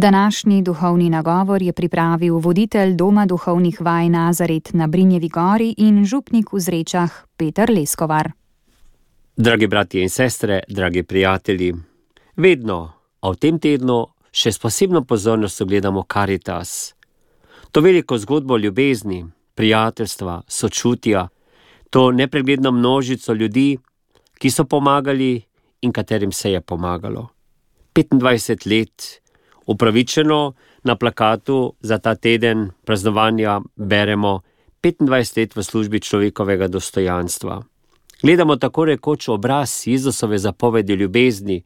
Današnji duhovni nagovor je pripravil voditelj Doma duhovnih vaj Nazaret na Brinjevi gori in župnik v Zrečah Peter Leskovar. Dragi bratje in sestre, dragi prijatelji, vedno, a v tem tednu še s posebno pozornostjo gledamo Karitas. To veliko zgodbo ljubezni, prijateljstva, sočutja, to nepregledno množico ljudi, ki so pomagali in katerim se je pomagalo. 25 let upravičeno na plakatu za ta teden praznovanja beremo 25 let v službi človekovega dostojanstva. Gledamo tako rekoč obraz Jezusove zapovedi ljubezni,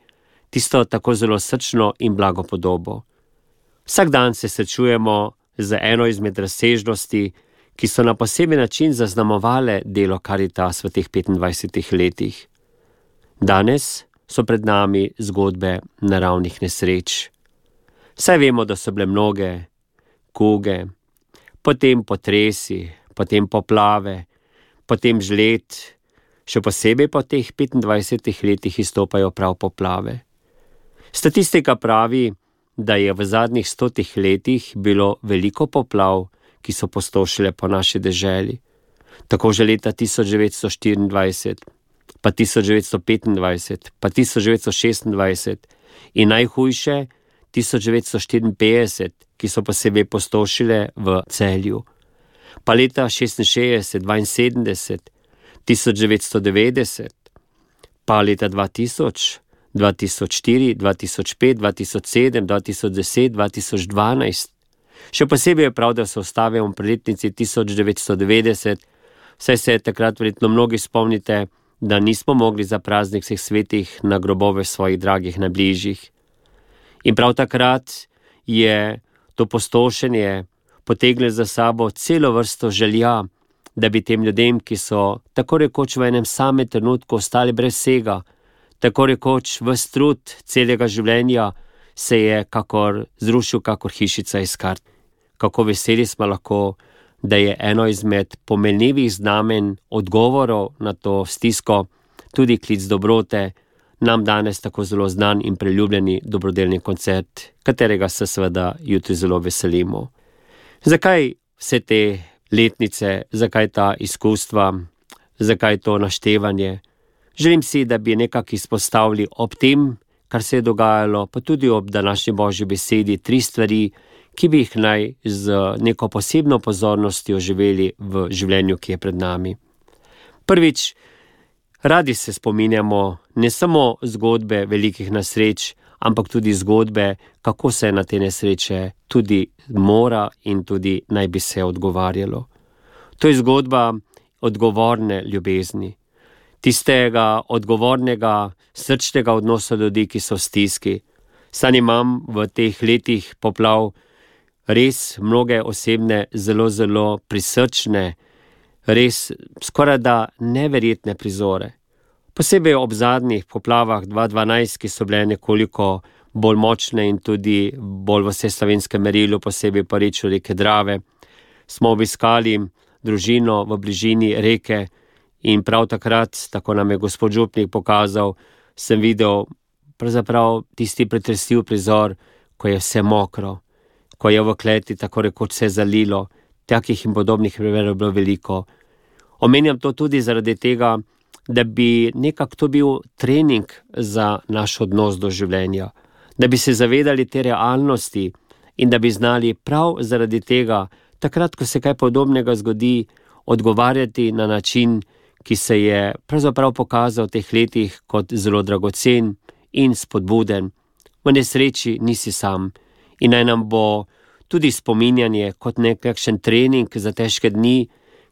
tisto tako zelo srčno in blago podobo. Vsak dan se srečujemo z eno izmed razsežnosti, ki so na poseben način zaznamovale delo Karitas v teh 25 letih. Danes so pred nami zgodbe naravnih nesreč. Saj vemo, da so bile mnoge kuge, potem potresi, potem poplave, potem žled, še posebej po teh 25 letih izstopajo prav poplave. Statistika pravi, da je v zadnjih 100 letih bilo veliko poplav, ki so pustošile po naši deželi. Tako že leta 1924, pa 1925, pa 1926 in najhujše 1954, ki so posebej pustošile v Celju. Pa leta 66, 72, 1990, pa leta 2000, 2004, 2005, 2007, 2010, 2012. Še posebej je prav, da se ustavimo pri letnici 1990, saj se takrat verjetno mnogi spomnite, da nismo mogli za praznik vseh svetih na grobove svojih dragih najbližjih. In prav takrat je to pustošenje potegnilo za sabo celo vrsto želja, da bi tem ljudem, ki so tako rekoč v enem samem trenutku ostali brez vsega, tako rekoč ves trud celega življenja se je kakor zrušil kakor hišica iz kart. Kako veseli smo lahko, da je eno izmed pomenljivih znamen odgovorov na to stisko tudi klic dobrote, nam danes tako zelo znan in priljubljeni dobrodelni koncert, katerega se seveda jutri zelo veselimo. Zakaj vse te letnice, zakaj ta izkustva, zakaj to naštevanje? Želim si, da bi nekako izpostavili ob tem, kar se je dogajalo, pa tudi ob današnji Božji besedi, 3 stvari, ki bi jih naj z neko posebno pozornostjo živeli v življenju, ki je pred nami. Prvič, radi se spominjamo ne samo zgodbe velikih nesreč, ampak tudi zgodbe, kako se na te nesreče tudi mora in tudi naj bi se odgovarjalo. To je zgodba odgovorne ljubezni, tistega odgovornega, srčnega odnosa ljudi, ki so v stiski. Sam imam v teh letih poplav res mnoge osebne, zelo, zelo prisrčne, res skoraj da neverjetne prizore. Posebej ob zadnjih poplavah 2012, ki so bile nekoliko bolj močne in tudi bolj v vseslovenskem merilu, posebej pa rečo reke Drave, smo obiskali družino v bližini reke in prav takrat, tako nam je gospod župnik pokazal, sem videl pravzaprav tisti pretresljiv prizor, ko je vse mokro, ko je v kleti tako rekoč vse zalilo. Takih in podobnih primerov bilo veliko. Omenjam to tudi zaradi tega, da bi nekako to bil trening za naš odnos do življenja, da bi se zavedali te realnosti in da bi znali prav zaradi tega, takrat, ko se kaj podobnega zgodi, odgovarjati na način, ki se je pravzaprav pokazal v teh letih kot zelo dragocen in spodbuden. V nesreči nisi sam in naj nam bo tudi spominjanje kot nekakšen trening za težke dni,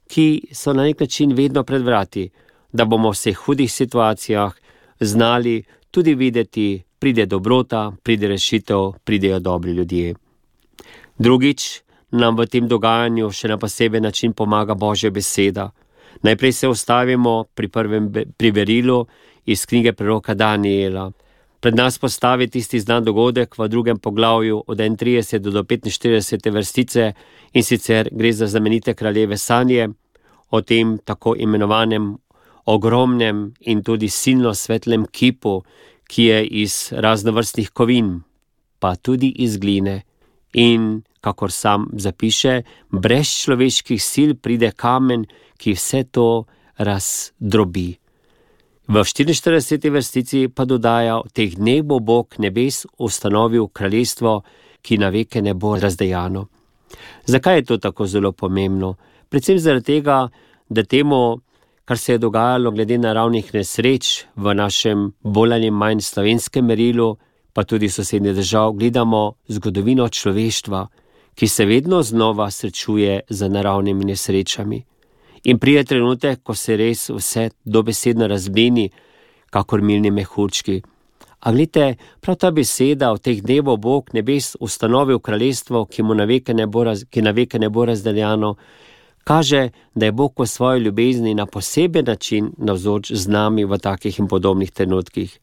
ki so na nek način vedno pred vrati, da bomo v vseh hudih situacijah znali tudi videti, pride dobrota, pride rešitev, pridejo dobri ljudje. Drugič, nam v tem dogajanju še na poseben način pomaga Božja beseda. Najprej se ustavimo pri prvem berilu iz knjige preroka Daniela. Pred nas postavi tisti znan dogodek v 2. poglavju od 31 do 45 vrstice in sicer gre za znamenite kraljeve sanje o tem tako imenovanem ogromnem in tudi silno svetlem kipu, ki je iz raznovrstnih kovin. pa tudi iz gline. In, kakor sam zapiše, brez človeških sil pride kamen, ki vse to razdrobi. V 44. vrstici pa dodaja: v teh dneh bo Bog nebes ustanovil kraljestvo, ki na veke ne bo razdejano. Zakaj je to tako zelo pomembno? Predvsem zaradi tega, da temu, kar se je dogajalo glede naravnih nesreč v našem bolj ali manj slovenskem merilu, pa tudi sosednjih držav, gledamo zgodovino človeštva, ki se vedno znova srečuje z naravnimi nesrečami. In pride trenutek, ko se res vse dobesedno razblini, kakor milni mehurčki. A glejte, prav ta beseda: v teh dneh bo Bog nebes ustanovil kraljestvo, ki na veke ne bo razdeljano, kaže, da je Bog v svoji ljubezni na poseben način navzoč z nami v takih in podobnih trenutkih.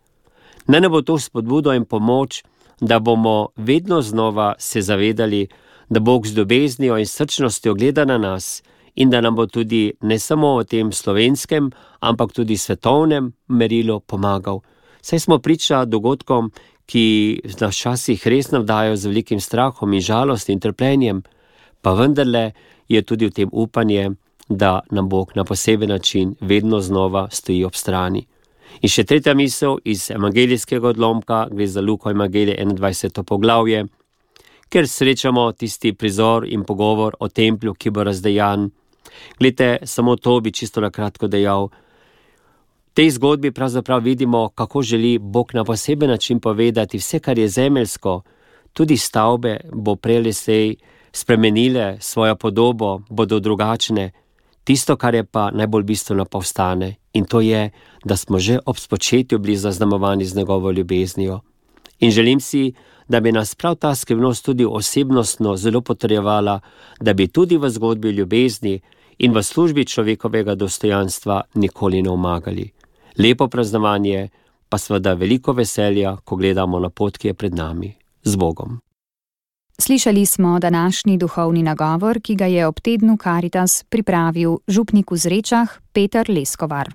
Naj ne bo to spodbudo in pomoč, da bomo vedno znova se zavedali, da Bog z ljubeznijo in srčnostjo gleda na nas in da nam bo tudi ne samo v tem slovenskem, ampak tudi svetovnem merilu pomagal. Saj smo priča dogodkom, ki nas včasih res navdajo z velikim strahom in žalostjo in trpljenjem, pa vendarle je tudi v tem upanje, da nam Bog na poseben način vedno znova stoji ob strani. In še tretja misel iz evangelijskega odlomka, gre za Luko evangelije 21. poglavje, ker srečamo tisti prizor in pogovor o templju, ki bo razdejan. Glejte, samo to bi čisto na kratko dejal. V tej zgodbi pravzaprav vidimo, kako želi Bog na poseben način povedati: vse, kar je zemeljsko, tudi stavbe bo prej ali slej spremenile svojo podobo, bodo drugačne. Tisto, kar je pa najbolj bistveno, pa ostane. In to je, da smo že ob spočetju bili zaznamovani z njegovo ljubeznijo. In želim si, da bi nas prav ta skrivnost tudi osebnostno zelo potrjevala, da bi tudi v zgodbi ljubezni in v službi človekovega dostojanstva nikoli ne omagali. Lepo praznovanje, pa seveda veliko veselja, ko gledamo na pot, ki je pred nami. Z Bogom. Slišali smo današnji duhovni nagovor, ki ga je ob tednu Karitas pripravil župnik v Zrečah Peter Leskovar.